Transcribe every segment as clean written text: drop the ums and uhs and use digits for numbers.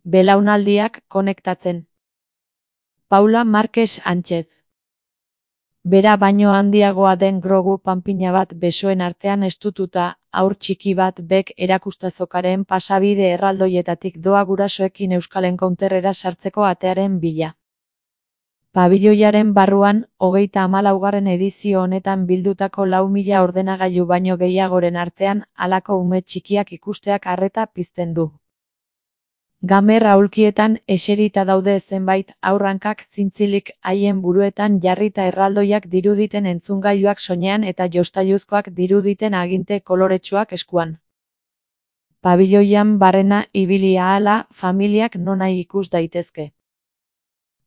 Belaunaldiak konektatzen. Paula Marquez Sánchez. Bera baino handiagoa den Grogu panpina bat besoen artean estututa, haur txiki bat bek erakustazokaren pasabide erraldoietatik doa gurasoekin Euskal Encounterrera sartzeko atearen bila. Pabiloiaren barruan, 34. edizio honetan bildutako 4.000 ordenagailu baino gehiagoren artean, halako ume txikiak ikusteak arreta pizten du. Gamer aulkietan eserita daude zenbait haurrankak zintzilik haien buruetan jarrita erraldoiak diruditen entzungailuak soinean eta jostailuzkoak diruditen aginte koloretsuak eskuan. Pabiloian barrena ibili ahala, familiak nonahi ikus daitezke.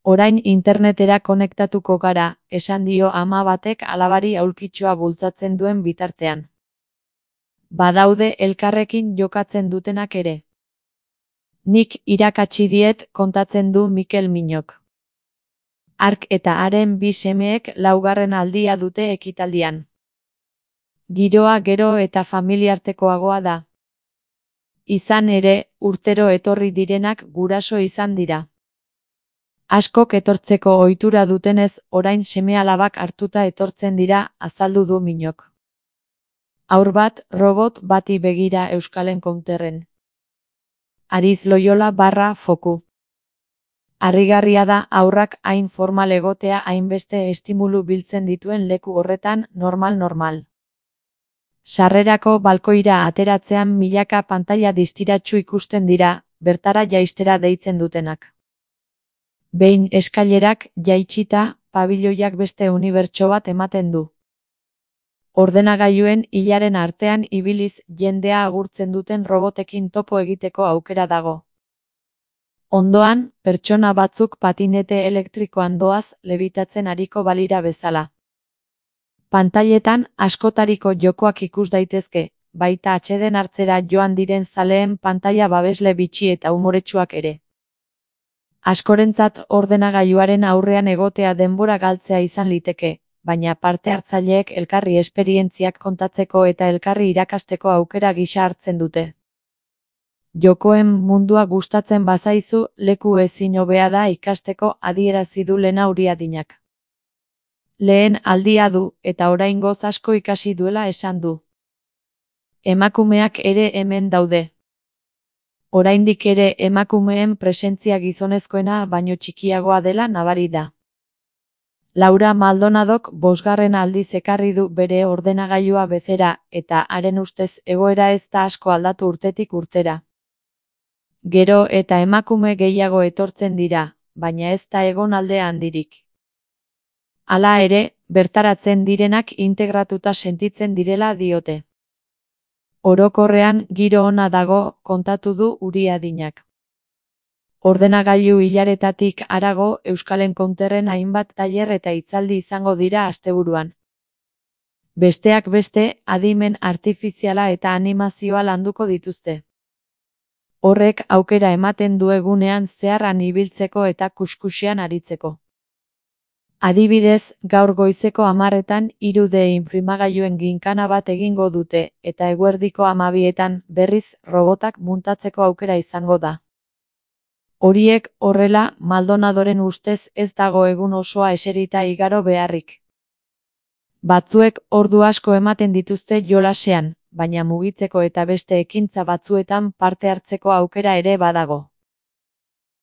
Orain internetera konektatuko gara, esan dio ama batek alabari aulkitxoa bultzatzen duen bitartean. Badaude elkarrekin jokatzen dutenak ere. Nik irakatsi diet, kontatzen du Mikel Minok. Hark eta haren 2 semeek 4. aldia dute ekitaldian. Giroa gero eta familiartekoagoa da. Izan ere, urtero etorri direnak guraso izan dira. Askok etortzeko ohitura dutenez, orain seme-alabak hartuta etortzen dira, azaldu du Minok. Haur bat, robot bati begira Euskal Encounterren. Ariz Loyola /foku. Harrigarria da haurrak hain formal egotea hainbeste estimulu biltzen dituen leku horretan, normal. Sarrerako balkoira ateratzean milaka pantaila distiratsu ikusten dira, bertara jaistera deitzen dutenak. Behin eskailerak jaitsita, pabiloiak beste unibertso bat ematen du. Ordenagailuen hilaren artean ibiliz jendea agurtzen duten robotekin topo egiteko aukera dago. Ondoan, pertsona batzuk patinete elektrikoan doaz lebitatzen ariko balira bezala. Pantailetan askotariko jokoak ikus daitezke, baita atseden hartzera joan diren zaleen pantaila babesle bitxi eta umoretsuak ere. Askorentzat ordenagailuaren aurrean egotea denbora galtzea izan liteke, baina parte hartzaileek elkarri esperientziak kontatzeko eta elkarri irakasteko aukera gisa hartzen dute. Jokoen mundua gustatzen bazaizu, leku ezin hobea da ikasteko, adierazi du Lena Uriadinak. Lehen aldia du, eta oraingoz asko ikasi duela esan du. Emakumeak ere hemen daude. Oraindik ere emakumeen presentzia gizonezkoena baino txikiagoa dela nabari da. Laura Maldonadok 5. aldiz ekarri du bere ordenagailua bezera, eta haren ustez egoera ez da asko aldatu urtetik urtera. Gero eta emakume gehiago etortzen dira, baina ez da egon alde handirik. Hala ere, bertaratzen direnak integratuta sentitzen direla diote. Orokorrean giro ona dago, kontatu du Uriadinak. Ordenagailu hilaretatik harago, Euskal Encounterren hainbat tailer eta hitzaldi izango dira asteburuan. Besteak beste, adimen artifiziala eta animazioa landuko dituzte. Horrek aukera ematen du egunean zeharran ibiltzeko eta kuskusean aritzeko. Adibidez, gaur goizeko 10:00 3D inprimagailuen ginkana bat egingo dute, eta eguerdiko 12:00 berriz robotak muntatzeko aukera izango da. Horiek horrela, Maldonadoren ustez ez dago egun osoa eserita igaro beharrik. Batzuek ordu asko ematen dituzte jolasean, baina mugitzeko eta beste ekintza batzuetan parte hartzeko aukera ere badago.